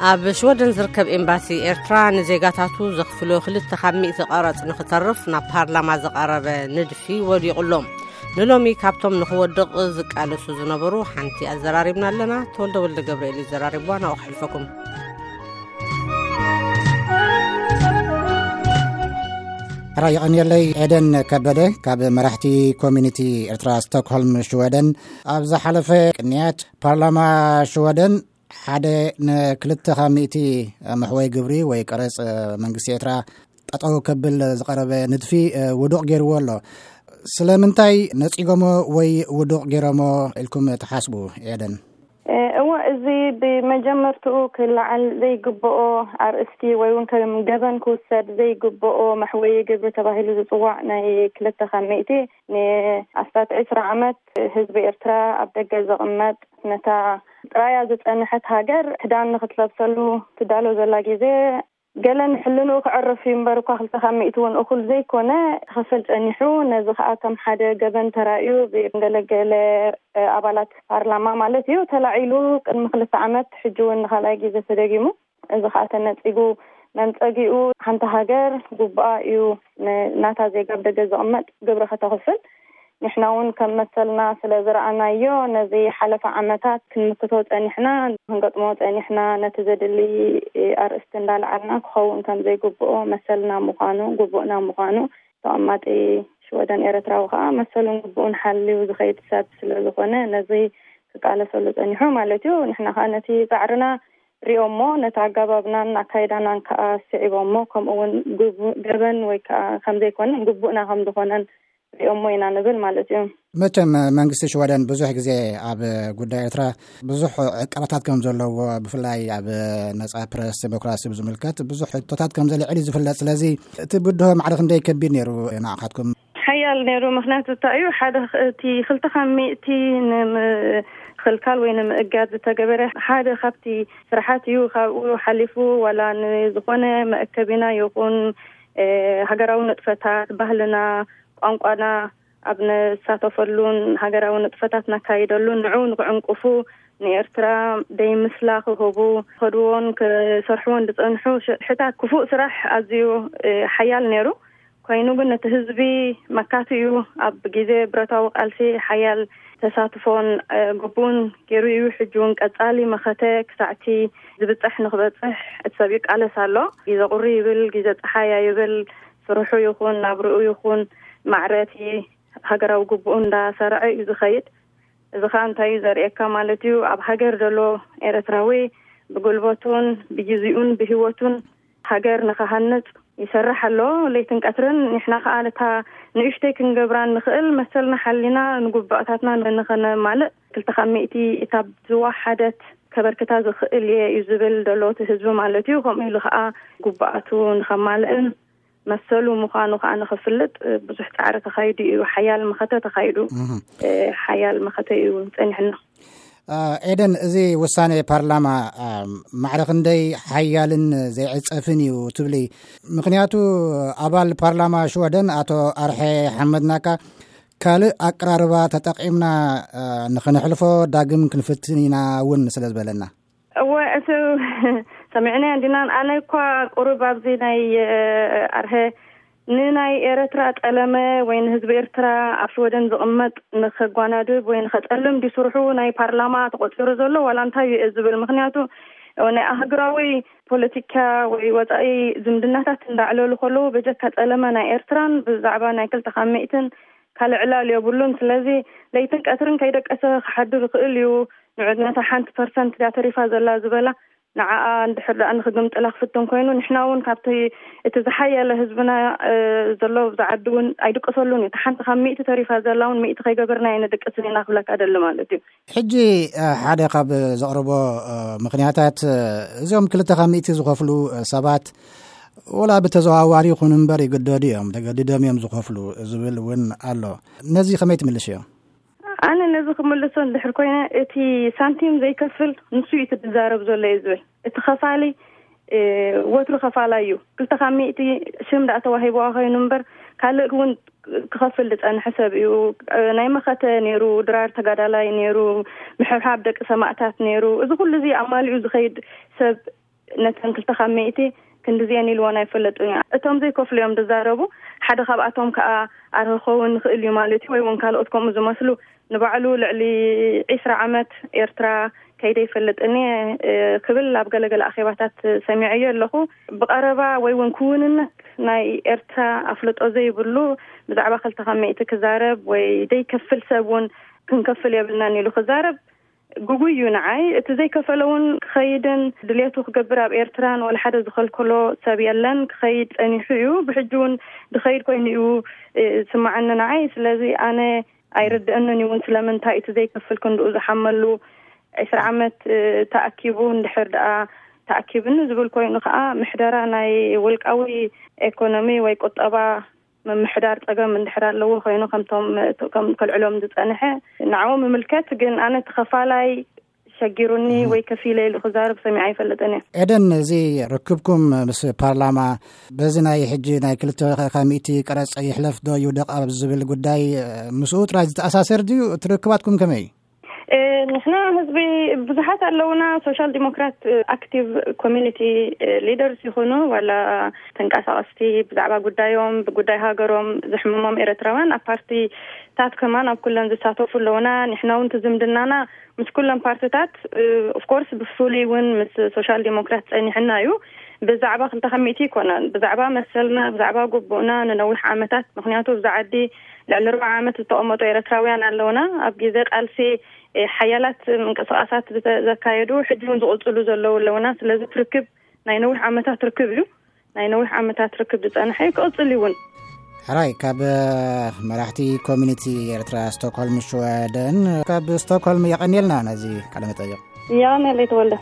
ኣብ ሽወደን ዝርከብ ኤምባሲ ኤርትራ ንዜጋታቱ ዘኽፍሎ ክልተ ካብ ሚእቲ ቀረጽ ንኽተርፍ ናብ ፓርላማ ዝቐረበ ንድፊ ወዲቑ ኣሎ። ንሎሚ ካብቶም ንኽወድቕ ዝቃለሱ ዝነበሩ ሓንቲ ኣዘራሪብና ኣለና። ተወልደ ወልደ ገብርኤል እዩ ዘራሪብዋ፣ ናብኡ ክሕልፈኩም። ሕራይ የቐንየለይ። ኤደን ከበደ ካብ መራሕቲ ኮሚኒቲ ኤርትራ ስቶክሆልም ሽወደን። ኣብ ዝሓለፈ ቅንያት ፓርላማ ሽወደን ሓደ ንክልተ ካብ ሚእቲ መሕወይ ግብሪ ወይ ቀረጽ መንግስቲ ኤርትራ ጠጠው ከብል ዝቐረበ ንድፊ ውዱቕ ገይርዎ ኣሎ። ስለምንታይ ነጺጎሞ ወይ ውዱቕ ገይሮሞ ኢልኩም ትሓስቡ? ኤደን። እወ፣ እዚ ብመጀመርትኡ ክለዓል ዘይግብኦ ኣርእስቲ ወይ እውን ከም ገበን ክውሰድ ዘይግብኦ መሕወዪ ግብሪ ተባሂሉ ዝጽዋዕ ናይ ክልተ ካብ ሚእቲ ንኣስታት ዕስራ ዓመት ህዝቢ ኤርትራ ኣብ ደገ ዘቕመጥ፣ ነታ ጥራያ ዝጸንሐት ሃገር ክዳን ንኽትለብሰሉ ትዳሎ ዘላ ግዜ፣ ገለ ንሕልንኡ ክዕርፍ እዩ እምበር እኳ ክልተ ካብ ሚእቲ እውን እኹል ዘይኮነ ክኸፍል ጸኒሑ። ነዚ ኸኣ ከም ሓደ ገበን ተራእዩ ብገለገለ ኣባላት ፓርላማ ማለት እዩ ተላዒሉ ቅድሚ ክልተ ዓመት፣ ሕጂ እውን ንኻልኣይ ግዜ ተደጊሙ። እዚ ኸኣ ተነጺጉ መንጸጊኡ ሓንቲ ሃገር ግቡኣ እዩ ን-፣ ናታ ዜጋ ኣብ ደገ ዝቕመጥ ግብሪ ከተኽፍል። ንሕና እውን ከም መሰልና ስለ ዝረኣናዮ ነዚ ሓለፈ ዓመታት ክንምክቶ ጸኒሕና፣ ክንገጥሞ ጸኒሕና። ነቲ ዘድሊ ኣርእስቲ እንዳልዓልና ክኸውን ከም ዘይግብኦ መሰልና ምዃኑ፣ ግቡእና ምዃኑ፣ ተቐማጢ ሽወደን ኤርትራዊ ከኣ መሰሉን ግቡኡን ሓልዩ ዝኸይድ ሰብ ስለ ዝኾነ ነዚ ክቃለሰሉ ጸኒሑ ማለት እዩ። ንሕና ከኣ ነቲ ጻዕርና ሪኦሞ፣ ነቲ ኣጋባብናን ኣካይዳናን ከኣ ስዒቦሞ፣ ከምኡ እውን ግቡ-፣ ገበን ወይ ከኣ ከም ዘይኮነን ግቡእና ከም ዝኾነን ሪኦሞ ኢና ንብል ማለት እዩ። መቸም መንግስቲ ሽወደን ብዙሕ ግዜ ኣብ ጉዳይ ኤርትራ ብዙሕ ዕቀባታት ከም ዘለዎ፣ ብፍላይ ኣብ ነጻ ፕረስ፣ ዴሞክራሲ ብዝምልከት ብዙሕ ሕቶታት ከም ዘልዕል እዩ ዝፍለጥ። ስለዚ እቲ ብድሆ ማዕረ ክንደይ ከቢድ ነይሩ ንዓኻትኩም? ሓያል ነይሩ። ምኽንያቱ እንታይ እዩ? ሓደ ኽ-፣ እቲ ክልተ ካብ ሚእቲ ንምኽልካል ወይ ንምእጋድ ዝተገበረ ሓደ ካብቲ ስራሓት እዩ። ካብኡ ሓሊፉ ዋላ ንዝኾነ መእከቢና ይኹን፣ እ፣ ሃገራዊ ንጥፈታት፣ ባህልና፣ ቋንቋና ኣብ ንሳተፈሉን ሃገራዊ ንጥፈታት ነካይደሉን ንዕኡ ንክዕንቅፉ፣ ንኤርትራ ደይምስላ ክህቡ፣ ክኸድዎን ክሰርሕዎን ዝጸንሑ ሽሕታት ክፉእ ስራሕ ኣዝዩ፣ እ፣ ሓያል ነይሩ። ኮይኑ ግን ነቲ ህዝቢ መካቲ እዩ። ኣብ ግዜ ብረታዊ ቃልሲ ሓያል ተሳትፎን፣ እ፣ ግቡን ገይሩ እዩ። ሕጂ እውን ቀጻሊ መኸተ ክሳዕቲ ዝብጻሕ ንክበጽሕ እቲ ሰብ ይቃለስ ኣሎ። ግዜ ቁሪ ይብል፣ ግዜ ጸሓያ ይብል፣ ስርሑ ይኹን ናብርኡ ይኹን ማዕረ እቲ ሃገራዊ ግቡኡ እንዳሰርዐ እዩ ዝኸይድ። እዚ ኸኣ እንታይ እዩ ዘርእየካ ማለት እዩ? ኣብ ሃገር ዘሎ ኤርትራዊ ብጉልበቱን ብግዜኡን ብህይወቱን ሃገር ንኽሃንጽ ይሰርሕ ኣሎ ለይትን ቀትርን። ንሕና ኸኣ ነታ ንእሽተይ ክንገብራ እንኽእል መሰልና ሓሊና ንጉባእታትና ንኸነማልእ ክልተ ካብ ሚእቲ እታ ዝወሓደት ከበርክታ ዝኽእል እየ እዩ ዝብል ዘሎ እቲ ህዝቢ ማለት እዩ። ከምኡ ኢሉ ኸኣ ጉባኣቱ ንኸማልእን መሰሉ ምዃኑ ኸኣ ንኽፍልጥ ብዙሕ ጻዕሪ ተኻይዱ እዩ። ሓያል መኸተ ተኻይዱ። እህ። እ፣ ሓያል መኸተ እዩ ጸኒሕና። አ፣ ኤደን፣ እዚ ውሳኔ ፓርላማ፣ አ፣ ማዕረ ክንደይ ሓያልን ዘይዕጸፍን እዩ ትብሊ? ምኽንያቱ ኣባል ፓርላማ ሽወደን ኣቶ ኣርሐ ሓመድናካ ካልእ ኣቀራርባ ተጠቂምና፣ አ፣ ንኽንሕልፎ ዳግም ክንፍትን ኢና እውን ስለ ዝበለና። እወ፣ እቲ ሰሚዕናዮ እንዲና። ኣነ እኳ ቁሩብ ኣብዚ ናይ፣ እ፣ ኣርሀ ንናይ ኤረትራ ጠለመ ወይ ንህዝቢ ኤርትራ ኣብ ሽወደን ዝቕመጥ ንኸጓናድብ ወይ ንኸጸልም ድዩ ስርሑ ናይ ፓርላማ ተቖጺሩ ዘሎ ዋላ እንታይ እዩ ዝብል? ምኽንያቱ ናይ ኣህጉራዊ ፖለቲካ ወይ ወጻኢ ዝምድናታት እንዳዕለሉ ከለዉ በጀካ ጸለመ ናይ ኤርትራን ብዛዕባ ናይ ክልተ ካብ ሚእትን ካልእ ዕላል የብሉን። ስለዚ ለይትን ቀትርን ከይደቀሰ ክሓድር ይኽእል እዩ። ንዑ ነታ ሓንቲ ፐርሰንት እያ ተሪፋ ዘላ ዝበላ ንዓኣ እንድሕር ደኣ ንኽግምጥላ ክፍትን ኮይኑ፣ ንሕና እውን ካብቲ እቲ ዝሓየለ ህዝብና፣ እ፣ ዘሎ ኣብዚ ዓዲ እውን ኣይድቅሰሉን እዩ። እታ ሓንቲ ካብ ሚእቲ ተሪፋ ዘላ እውን ሚእቲ ከይገበርና ኣይንድቅስን ኢና ክብለካ ደሊ ማለት እዩ። ሕጂ፣ እ፣ ሓደ ካብ ዘቕርቦ፣ እ፣ ምኽንያታት፣ እ፣ እዚኦም ክልተ ካብ ሚእቲ ዝኸፍሉ፣ እ፣ ሰባት ወላ ብተዘዋዋሪ ይኹን እምበር ይግደዱ እዮም፣ ተገዲዶም እዮም ዝኸፍሉ ዝብል እውን ኣሎ። ነዚ ከመይ ትምልሽዮ? ኣነ ነዚ ክምልሶ እንድሕር ኮይነ፣ እቲ ሳንቲም ዘይከፍል ንሱ እዩ እቲ ዝዛረብ ዘሎ እየ ዝብል። እቲ ኸፋሊ፣ እ፣ ወትሩ ኸፋላይ እዩ። ክልተ ካብ ሚእቲ ሽም ደኣ ተዋሂብዋ ኮይኑ እምበር፣ ካልእ እውን ክኸፍል ዝጸንሐ ሰብ እዩ። እ፣ ናይ መኸተ ነይሩ፣ ድራር ተጋዳላይ ነይሩ፣ ምሕብሓብ ደቂ ሰማእታት ነይሩ። እዚ ኩሉ እዚ ኣማሊኡ ዝኸይድ ሰብ ነተን ክልተ ካብ ሚእቲ ክንድዚአን ኢልወን ኣይፈለጡን እዩ። እቶም ዘይከፍሉ እዮም ዝዛረቡ። ሓደ ካብኣቶም ከዓ ኣረ ክኸውን ንኽእል እዩ ማለት እዩ፣ ወይ እውን ካልኦት ከምኡ ዝመስሉ። ንባዕሉ ልዕሊ ዒስራ ዓመት ኤርትራ ከይደ ይፈልጥኒ ክብል ኣብ ገለገለ ኣኼባታት ሰሚዐዮ ኣለኹ። ብቐረባ ወይ እውን ክውንነት ናይ ኤርትራ ኣፍልጦ ዘይብሉ ብዛዕባ ክልተ ካብ ሚእቲ ክዛረብ ወይ ዘይከፍል ሰብ እውን ክንከፍል የብልናን ኢሉ ክዛረብ ግጉይ እዩ ንዓይ። እቲ ዘይከፈለ እውን ክኸይድን ድሌቱ ክገብር ኣብ ኤርትራን ወላ ሓደ ዝኸልከሎ ሰብ የለን። ክኸይድ ጸኒሑ እዩ። ብሕጂ እውን ዝኸይድ ኮይኑ እዩ ስማዓኒ ንዓይ። ስለዚ ኣነ ኣይርድእንን እዩ እውን ስለምንታይ እቲ ዘይከፍል ክንድኡ ዝሓመሉ ዕስራ ዓመት ተኣኪቡ እንድሕር ደኣ ተኣኪብኒ ዝብል ኮይኑ ከዓ ምሕደራ ናይ ውልቃዊ ኤኮኖሚ ወይ ቁጠባ ምምሕዳር ጸገም እንድሕር ኣለዎ ኮይኑ ከምቶም ከም ከልዕሎም ዝጸንሐ ንዕኡ ምምልከት። ግን ኣነ ተኸፋላይ ሸጊሩኒ ወይ ከፊለ ኢሉ ክዛረብ ሰሚዐ ኣይፈልጥን እየ። ኤደን፣ እዚ ርክብኩም ምስ ፓርላማ በዚ ናይ ሕጂ ናይ ክልተ ካብ ሚእቲ ቀረጽ ይሕለፍ ዶ ይውደቕ ኣብ ዝብል ጉዳይ ምስኡ ጥራይ ዝተኣሳሰር ድዩ? እቲ ርክባትኩም ከመይ እዩ? ንሕና ህዝቢ ብዙሓት ኣለውና። ሶሻል ዲሞክራት ኣክቲቭ ኮሚኒቲ ሊደርስ ይኹኑ ዋላ ተንቀሳቐስቲ ብዛዕባ ጉዳዮም ብጉዳይ ሃገሮም ዝሕምሞም ኤርትራውያን ኣብ ፓርቲታት ከማን ኣብ ኩለን ዝሳተፉ ኣለውና። ንሕና እውን ዝምድናና ምስ ኩለን ፓርቲታት ኦፍኮርስ ብፍሉይ እውን ምስ ሶሻል ዲሞክራት ጸኒሕና እዩ። ብዛዕባ ክልተ ካብ ሚእቲ ይኮነን ብዛዕባ መሰልና ብዛዕባ ግቡእና ንነዊሕ ዓመታት ምክንያቱ ብዛ ዓዲ ልዕሊ ኣርባዓ ዓመት ዝተቐመጡ ኤርትራውያን ኣለውና። ኣብ ግዜ ቃልሲ ሓያላት ምንቅስቃሳት ዘካየዱ ሕጂ እውን ዝቕፅሉ ዘለዉ ኣለውና። ስለዚ ርክብ ናይ ነዊሕ ዓመታት ርክብ እዩ። ናይ ነዊሕ ዓመታት ርክብ ዝፀንሐ እዩ፣ ክቕፅል እውን። ሕራይ ካብ መራሕቲ ኮሚኒቲ ኤርትራ ስቶክሆልም ሽወደን ካብ ስቶክሆልም የቐንየልና ነዚ ቃለ መጠይቕ። የቐንየለይ ተወልደ።